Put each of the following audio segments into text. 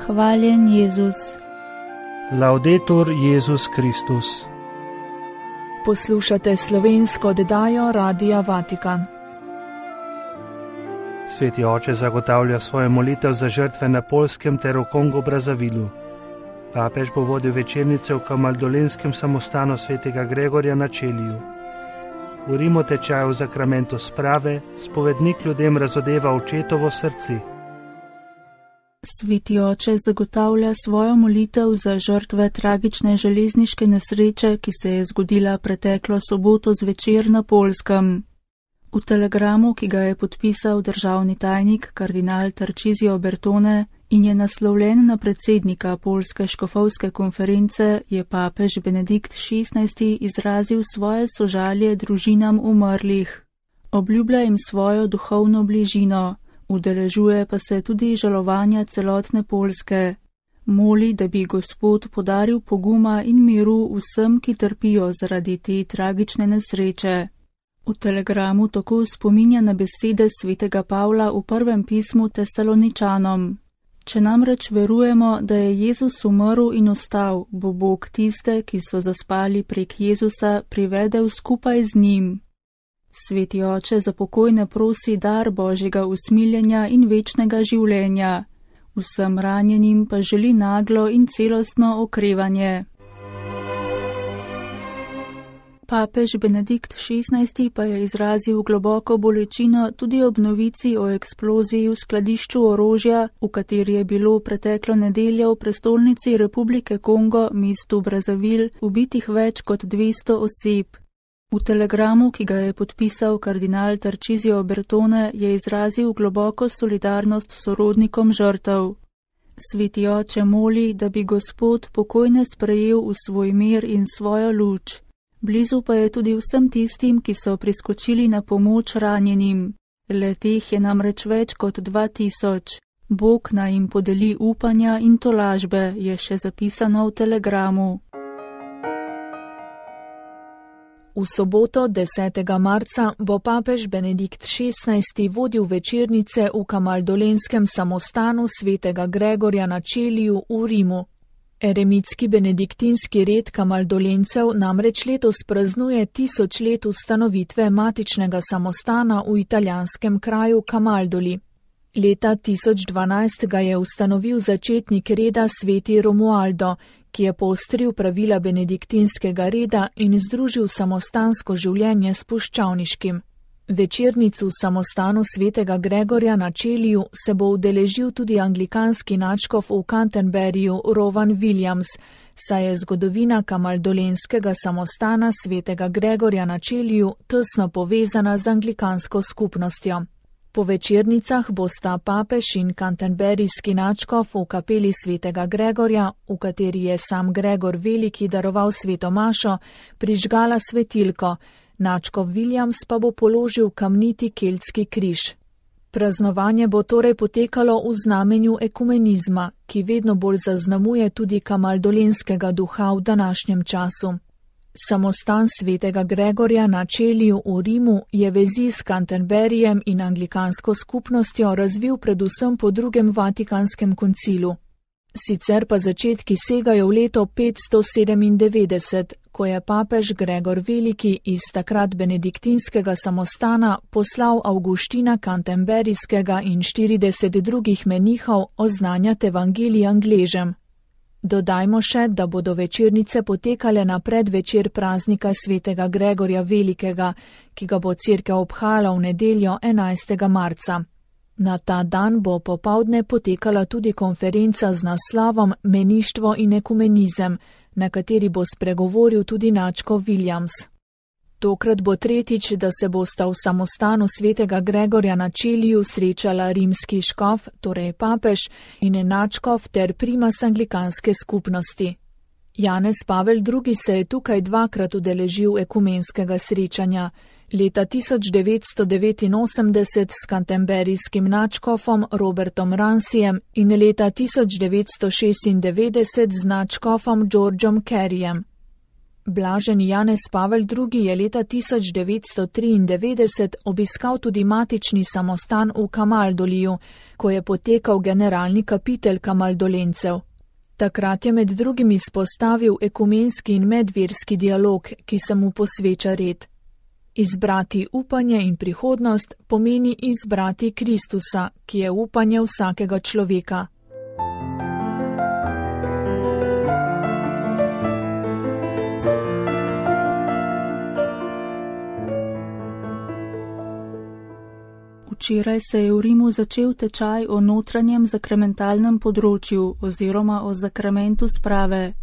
Hvaljen Jezus. Laudetur Jezus Kristus. Poslušate slovensko oddajo Radia Vatikan. Sveti oče zagotavlja svojo molitev za žrtve na Poljskem ter v Kongu Brazavilu. Papež bo vodil večernice v kamaldolenskem samostanu svetega Gregorja na Čeliju. V Rimu tečaj v zakramentu sprave spovednik ljudem razodeva očetovo srce. Sveti oče zagotavlja svojo molitev za žrtve tragične železniške nesreče, ki se je zgodila preteklo soboto zvečer na Poljskem. V telegramu, ki ga je podpisal državni tajnik kardinal Tarcisio Bertone in je naslovljen na predsednika Poljske škofovske konference, je papež Benedikt XVI izrazil svoje sožalje družinam umrlih. Obljublja jim svojo duhovno bližino, udeležuje pa se tudi žalovanja celotne Poljske. Moli, da bi Gospod podaril poguma in miru vsem, ki trpijo zaradi te tragične nesreče. V telegramu tako spominja na besede svetega Pavla v prvem pismu Tesaloničanom. Če namreč verujemo, da je Jezus umrl in ostal, bo Bog tiste, ki so zaspali prek Jezusa, privedel skupaj z njim. Sveti oče za pokojne prosi dar Božjega usmiljenja in večnega življenja. Vsem ranjenim pa želi naglo in celostno okrevanje. Papež Benedikt XVI pa je izrazil globoko bolečino tudi ob novici o eksploziji v skladišču orožja, v kateri je bilo preteklo nedeljo v prestolnici Republike Kongo, mestu Brazavil, ubitih več kot 200 oseb. V telegramu, ki ga je podpisal kardinal Tarcisio Bertone, je izrazil globoko solidarnost sorodnikom žrtev. Sveti oče moli, da bi Gospod pokojne sprejel v svoj mir in svojo luč. Blizu pa je tudi vsem tistim, ki so priskočili na pomoč ranjenim. Le-teh je namreč več kot 2000. Bog naj jim podeli upanja in tolažbe, je še zapisano v telegramu. V soboto 10. marca bo papež Benedikt XVI vodil večernice v kamaldolenskem samostanu svetega Gregorja na Čeliju v Rimu. Eremitski benediktinski red kamaldolencev namreč letos praznuje 1000 let ustanovitve matičnega samostana v italijanskem kraju Kamaldoli. Leta 1012 ga je ustanovil začetnik reda sveti Romualdo, ki je poostril pravila benediktinskega reda in združil samostansko življenje s puščavniškim. Večernicu v samostanu svetega Gregorja na Čeliju se bo udeležil tudi anglikanski nadškof v Canterburyju Rowan Williams, saj je zgodovina kamaldolenskega samostana svetega Gregorja na Čeliju tesno povezana z anglikansko skupnostjo. Po večernicah bosta papež in canterburyjski nadškof v kapeli svetega Gregorja, v kateri je sam Gregor Veliki daroval sveto mašo, prižgala svetilko. Nadškof Williams pa bo položil kamniti keltski križ. Praznovanje bo torej potekalo v znamenju ekumenizma, ki vedno bolj zaznamuje tudi kamaldolenskega duha v današnjem času. Samostan svetega Gregorja na Čeliju v Rimu je vezi s Canterburyjem in anglikansko skupnostjo razvil predvsem po drugem Vatikanskem koncilu. Sicer pa začetki segajo v leto 597, ko je papež Gregor Veliki iz takrat benediktinskega samostana poslal Avguština Canterburyjskega in 40 drugih menihov oznanjati evangelij Angležem. Dodajmo še, da bodo večernice potekale na predvečer praznika svetega Gregorja Velikega, ki ga bo cerkev obhajala v nedeljo 11. marca. Na ta dan bo popoldne potekala tudi konferenca z naslovom Meništvo in ekumenizem, na kateri bo spregovoril tudi nadškof Williams. Tokrat bo tretjič, da se bosta v samostanu svetega Gregorja na Čeliju srečala rimski škof, torej papež, in nadškof ter primas anglikanske skupnosti. Janez Pavel II. Se je tukaj dvakrat udeležil ekumenskega srečanja. Leta 1989 s canterburyjskim nadškofom Robertom Ranseyjem in leta 1996 z nadškofom Georgeom Careyjem. Blaženi Janez Pavel II. Je leta 1993 obiskal tudi matični samostan v Kamaldoliju, ko je potekal generalni kapitel kamaldolencev. Takrat je med drugim izpostavil ekumenski in medverski dialog, ki se mu posveča red. Izbrati upanje in prihodnost pomeni izbrati Kristusa, ki je upanje vsakega človeka. Včeraj se je v Rimu začel tečaj o notranjem sakramentalnem področju oziroma o sakramentu sprave.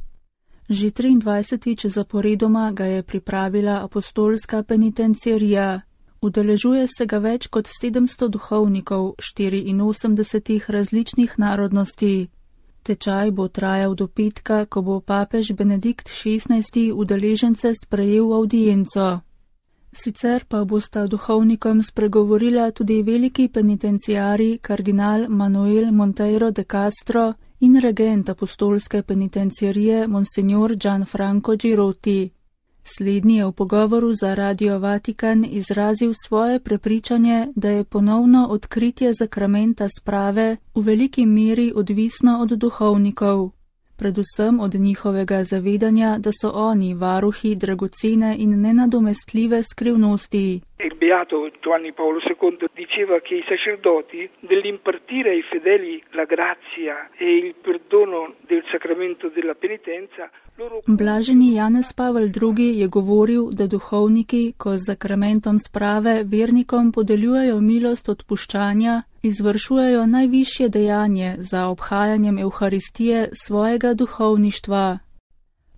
Že 23. zaporedoma ga je pripravila apostolska penitenciarija. Udeležuje se ga več kot 700 duhovnikov 84 različnih narodnosti. Tečaj bo trajal do petka, ko bo papež Benedikt XVI. Udeležence sprejel v avdienco. Sicer pa bosta duhovnikom spregovorila tudi veliki penitenciari kardinal Manuel Monteiro de Castro in regent apostolske penitenciarije Monsignor Gianfranco Girotti. Slednji je v pogovoru za Radio Vatikan izrazil svoje prepričanje, da je ponovno odkritje sakramenta sprave v veliki meri odvisno od duhovnikov. Predvsem od njihovega zavedanja, da so oni varuhi dragocene in nenadomestljive skrivnosti. Il beato Giovanni Paolo II diceva che i sacerdoti nell'impartire ai fedeli la grazia e il perdono del sacramento della penitenza. Blaženi Janez Pavel II. Je govoril, da duhovniki, ko z sakramentom sprave vernikom podeljujejo milost odpuščanja, izvršujejo najvišje dejanje za obhajanjem Evharistije svojega duhovništva.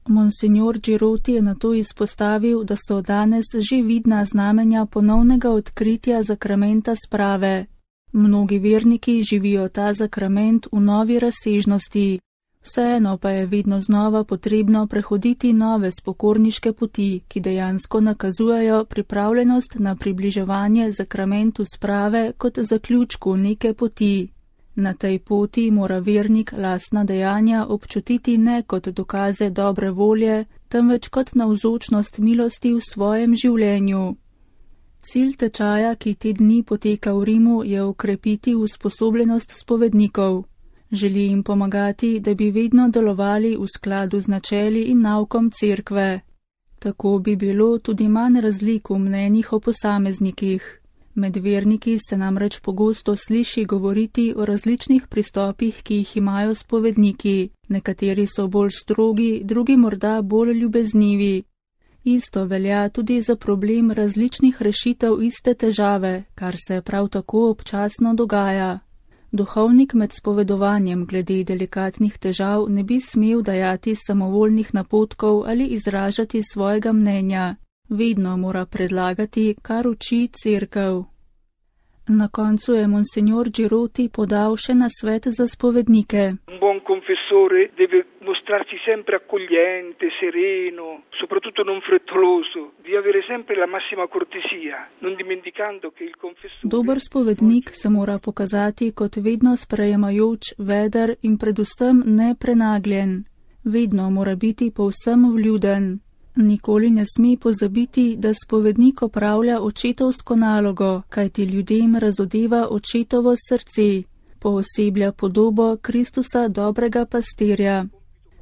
Monsignor Girotti je nato izpostavil, da so danes že vidna znamenja ponovnega odkritja sakramenta sprave. Mnogi verniki živijo ta sakrament v novi razsežnosti. Vseeno pa je vedno znova potrebno prehoditi nove spokorniške poti, ki dejansko nakazujejo pripravljenost na približevanje sakramentu sprave kot zaključku neke poti. Na tej poti mora vernik lastna dejanja občutiti ne kot dokaze dobre volje, temveč kot navzočnost milosti v svojem življenju. Cilj tečaja, ki te dni poteka v Rimu, je okrepiti usposobljenost spovednikov. Želi jim pomagati, da bi vedno delovali v skladu z načeli in naukom cerkve. Tako bi bilo tudi manj razlik v mnenjih o posameznikih. Med verniki se namreč pogosto sliši govoriti o različnih pristopih, ki jih imajo spovedniki. Nekateri so bolj strogi, drugi morda bolj ljubeznivi. Isto velja tudi za problem različnih rešitev iste težave, kar se prav tako občasno dogaja. Duhovnik med spovedovanjem glede delikatnih težav ne bi smel dajati samovoljnih napotkov ali izražati svojega mnenja. Vedno mora predlagati, kar uči cerkev. Na koncu je Monsignor Girotti podal še nasvet za spovednike. Un buon confessore deve mostrarsi sempre accogliente, sereno, soprattutto non frettoloso, di avere sempre la massima cortesia, non dimenticando che il confessore... Dober spovednik se mora pokazati kot vedno sprejemajoč, veder in predvsem neprenagljen. Vedno mora biti povsem vljuden. Nikoli ne sme pozabiti, da spovednik opravlja očetovsko nalogo, kajti ljudem razodeva očetovo srce, pooseblja podobo Kristusa dobrega pastirja.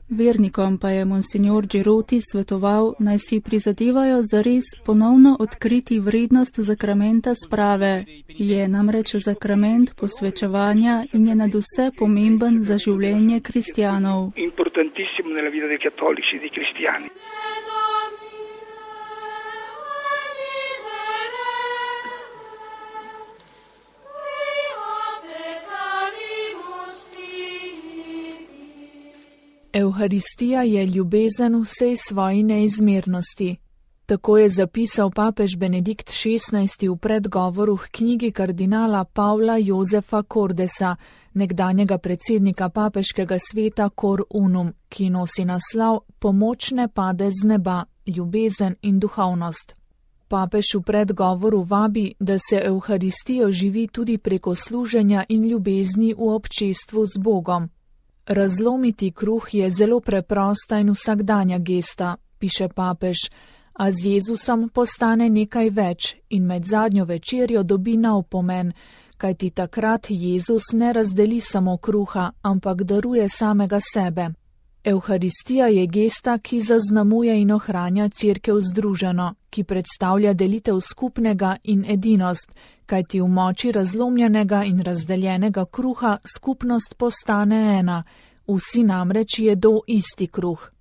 Vernikom pa je Monsignor Girotti svetoval, naj si prizadevajo zares ponovno odkriti vrednost sakramenta sprave. Je namreč sakrament posvečevanja in je nadvse pomemben za življenje kristjanov. Importantissimo nella vita dei cattolici, dei cristiani. Evharistija je ljubezen v vsej svoji neizmernosti. Tako je zapisal papež Benedikt XVI. V predgovoru k knjigi kardinala Pavla Jozefa Cordesa, nekdanjega predsednika papeškega sveta Cor Unum, ki nosi naslov Pomoč ne pade z neba, ljubezen in duhovnost. Papež v predgovoru vabi, da se Evharistijo živi tudi preko služenja in ljubezni v občestvu z Bogom. Razlomiti kruh je zelo preprosta in vsakdanja gesta, piše papež, a z Jezusom postane nekaj več in med zadnjo večerjo dobi nov pomen, kajti takrat Jezus ne razdeli samo kruha, ampak daruje samega sebe. Evharistija je gesta, ki zaznamuje in ohranja Cerkev združeno, ki predstavlja delitev skupnega in edinost, kajti v moči razlomljenega in razdeljenega kruha skupnost postane ena, vsi namreč jedo isti kruh.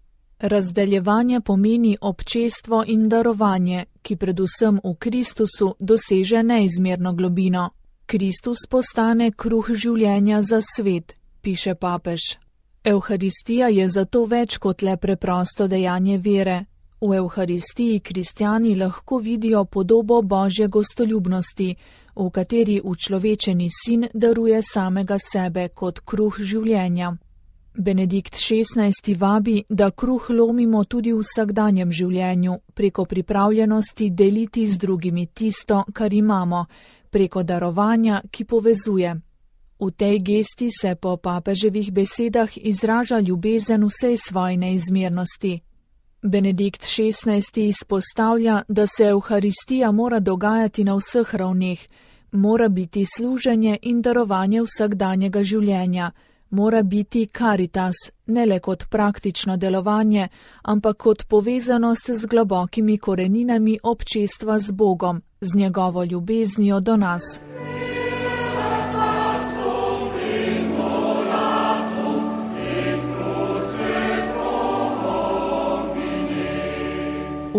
Razdeljevanje pomeni občestvo in darovanje, ki predvsem v Kristusu doseže neizmerno globino. Kristus postane kruh življenja za svet, piše papež. Evharistija je zato več kot le preprosto dejanje vere. V Evharistiji kristjani lahko vidijo podobo Božje gostoljubnosti, v kateri učlovečeni sin daruje samega sebe kot kruh življenja. Benedikt XVI. Vabi, da kruh lomimo tudi v vsakdanjem življenju, preko pripravljenosti deliti z drugimi tisto, kar imamo, preko darovanja, ki povezuje. V tej gesti se po papeževih besedah izraža ljubezen vsej svoji neizmernosti. Benedikt XVI. Izpostavlja, da se Evharistija mora dogajati na vseh ravneh, mora biti služenje in darovanje vsakdanjega življenja, mora biti caritas, ne le kot praktično delovanje, ampak kot povezanost z globokimi koreninami občestva z Bogom, z njegovo ljubeznijo do nas.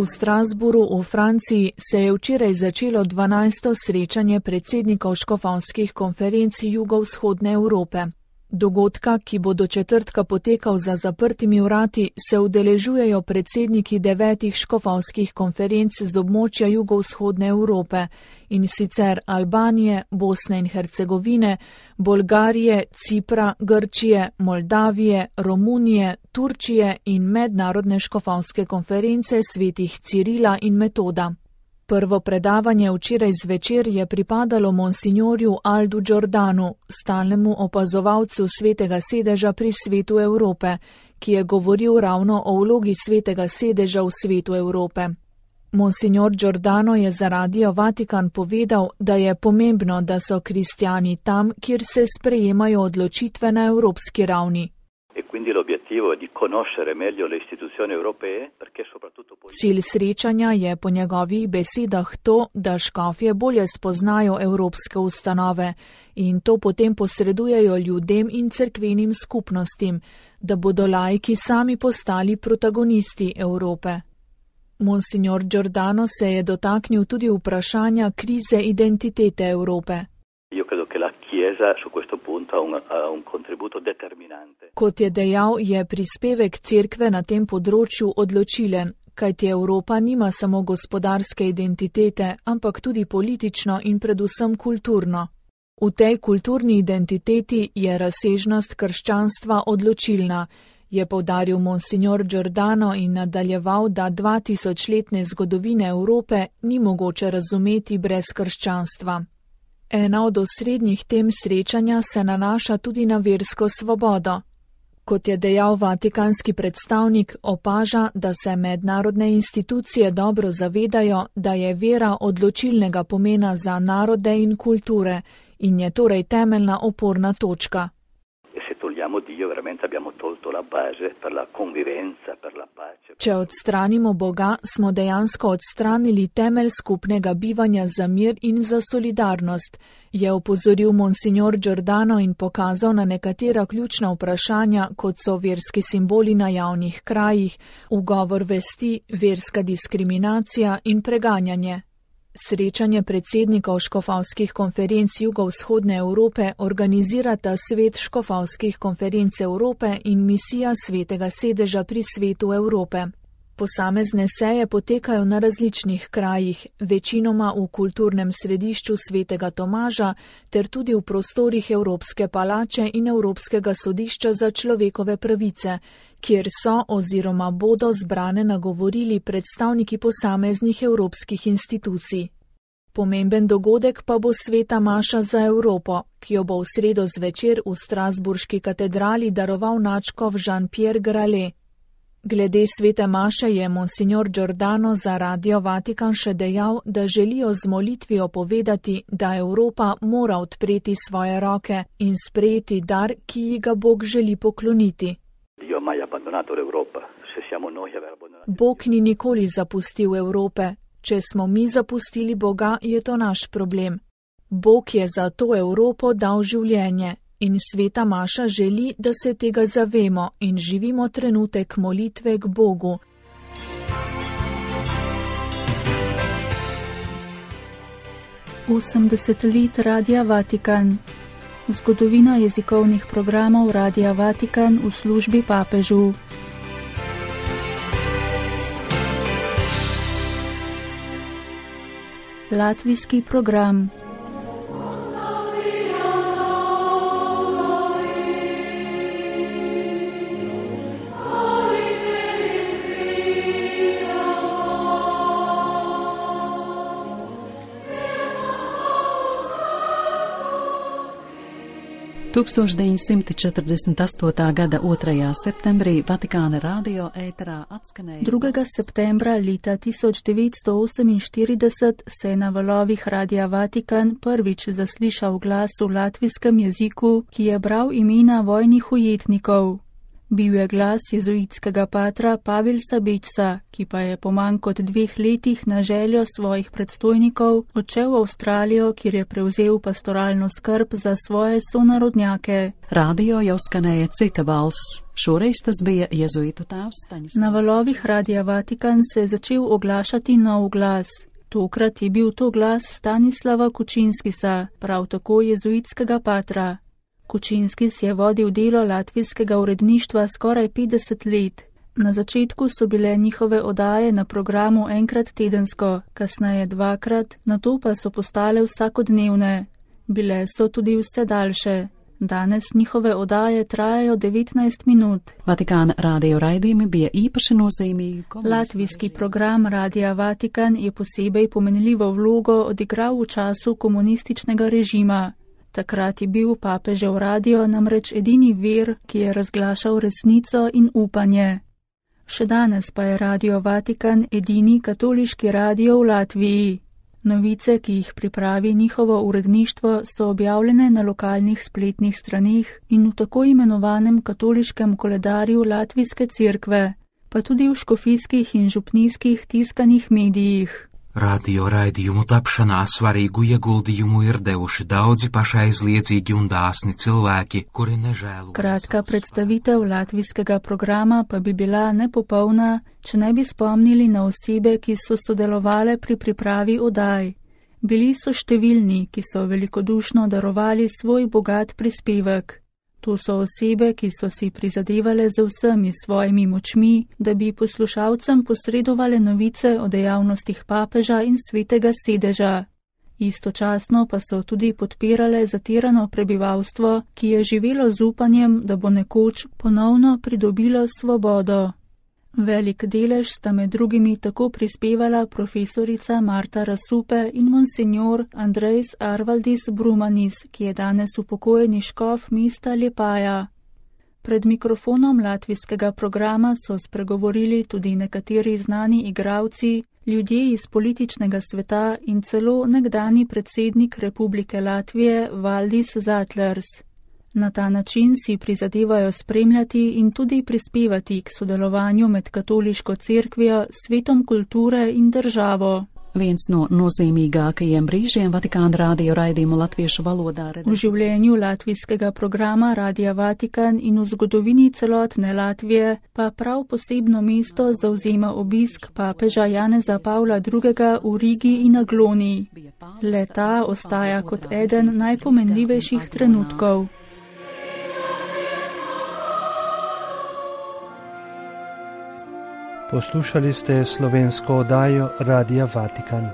V Strasbourgu v Franciji se je včeraj začelo 12. srečanje predsednikov škofovskih konferenc jugovzhodne Evrope. Dogodka, ki bo do četrtka potekal za zaprtimi vrati, se udeležujejo predsedniki 9 škofovskih konferenc z območja jugovzhodne Evrope, in sicer Albanije, Bosne in Hercegovine, Bolgarije, Cipra, Grčije, Moldavije, Romunije, Turčije in mednarodne škofovske konference svetih Cirila in Metoda. Prvo predavanje včeraj zvečer je pripadalo monsignorju Aldu Giordanu, stalnemu opazovalcu svetega sedeža pri Svetu Evrope, ki je govoril ravno o vlogi svetega sedeža v Svetu Evrope. Monsignor Giordano je za Radio Vatikan povedal, da je pomembno, da so kristjani tam, kjer se sprejemajo odločitve na evropski ravni. Cilj srečanja je po njegovih besedah to, da škofje bolje spoznajo evropske ustanove in to potem posredujejo ljudem in cerkvenim skupnostim, da bodo laiki sami postali protagonisti Evrope. Monsignor Giordano se je dotaknil tudi vprašanja krize identitete Evrope. Kot je dejal, je prispevek cerkve na tem področju odločilen, kajti Evropa nima samo gospodarske identitete, ampak tudi politično in predvsem kulturno. V tej kulturni identiteti je razsežnost krščanstva odločilna, je poudaril monsignor Giordano in nadaljeval, da 2000-letne zgodovine Evrope ni mogoče razumeti brez krščanstva. Ena od osrednjih tem srečanja se nanaša tudi na versko svobodo. Kot je dejal vatikanski predstavnik, opaža, da se mednarodne institucije dobro zavedajo, da je vera odločilnega pomena za narode in kulture in je torej temeljna oporna točka. Če odstranimo Boga, smo dejansko odstranili temelj skupnega bivanja za mir in za solidarnost, je opozoril monsignor Giordano in pokazal na nekatera ključna vprašanja, kot so verski simboli na javnih krajih, ugovor vesti, verska diskriminacija in preganjanje. Srečanje predsednikov škofovskih konferenc jugovzhodne Evrope organizirata Svet škofovskih konferenc Evrope in misija Svetega sedeža pri Svetu Evrope. Posamezne seje potekajo na različnih krajih, večinoma v kulturnem središču Svetega Tomaža ter tudi v prostorih Evropske palače in Evropskega sodišča za človekove pravice, kjer so oziroma bodo zbrane nagovorili predstavniki posameznih evropskih institucij. Pomemben dogodek pa bo sveta maša za Evropo, ki jo bo v sredo zvečer v strasburški katedrali daroval nadškof Jean-Pierre Gralet. Glede svete maše je monsignor Giordano za Radio Vatikan še dejal, da želijo z molitvijo povedati, da Evropa mora odpreti svoje roke in sprejeti dar, ki ji ga Bog želi pokloniti. Bog ni nikoli zapustil Evrope. Če smo mi zapustili Boga, je to naš problem. Bog je za to Evropo dal življenje. In sveta maša želi, da se tega zavemo in živimo trenutek molitve k Bogu. Osemdeset let Radia Vatikan. Zgodovina jezikovnih programov Radia Vatikan v službi papežu. Latvijski program. Tūkstoš 1948. gada 2. septembrī Vatikāna radio ēterā atskanēja. 2. septembra leta 1948 se je na valovih Radia Vatikan prvič zaslišal glas v latvijskem jeziku, ki je bral imena vojnih ujetnikov. Bil je glas jezuitskega patra Pavilsa Bečsa, ki pa je po manj kot 2 letih na željo svojih predstojnikov odšel v Avstralijo, kjer je prevzel pastoralno skrb za svoje sonarodnjake. Radio jau skanēja cita balss. Šoreiz tas bija jezuitu tēvs Staņislavs. Na valovih Radia Vatikan se je začel oglašati nov glas. Tokrat je bil to glas Stanislava Kučinskisa, prav tako jezuitskega patra. Kučinskis je vodil delo latvijskega uredništva skoraj 50 let. Na začetku so bile njihove oddaje na programu enkrat tedensko, kasneje 2-krat, nato pa so postale vsakodnevne. Bile so tudi vse daljše. Danes njihove oddaje trajajo 19 minut. Vatikāna radio raidījumi bija īpaši nozīmīgi. Latvijski program Radia Vatikan je posebej pomenljivo vlogo odigral v času komunističnega režima. Takrat je bil papežev radio namreč edini vir, ki je razglašal resnico in upanje. Še danes pa je Radio Vatikan edini katoliški radio v Latviji. Novice, ki jih pripravi njihovo uredništvo, so objavljene na lokalnih spletnih straneh in v tako imenovanem katoliškem koledarju Latvijske cerkve, pa tudi v škofijskih in župnijskih tiskanih medijih. Radio raidījumu tapšanā svarīgu ieguldījumu ir devuši daudzi pašaizliedzīgi un dāsni cilvēki, kuri nežēlo. Kratka predstavitev latvijskega programa pa bi bila nepopolna, če ne bi spomnili na osebe, ki so sodelovale pri pripravi oddaj. Bili so številni, ki so velikodušno darovali svoj bogat prispevek. To so osebe, ki so si prizadevale z vsemi svojimi močmi, da bi poslušalcem posredovale novice o dejavnostih papeža in svetega sedeža. Istočasno pa so tudi podpirale zatirano prebivalstvo, ki je živelo z upanjem, da bo nekoč ponovno pridobilo svobodo. Velik delež sta med drugimi tako prispevala profesorica Marta Rasupe in monsignor Andrejs Arvaldis Brumanis, ki je danes upokojeni škof mesta Liepaja. Pred mikrofonom latvijskega programa so spregovorili tudi nekateri znani igralci, ljudje iz političnega sveta in celo nekdani predsednik Republike Latvije Valdis Zatlers. Na ta način si prizadevajo spremljati in tudi prispevati k sodelovanju med katoliško cerkvijo, svetom kulture in državo. Viens no nozīmīgākajiem brīžiem Vatikāna radio raidījumu latviešu valodā. V življenju latvijskega programa Radia Vatikan in v zgodovini celotne Latvije pa prav posebno mesto zauzema obisk papeža Janeza Pavla II. V Rigi in Agloniji. Le ta ostaja kot eden najpomenljivejših trenutkov. Poslušali ste slovensko oddajo Radia Vatikan.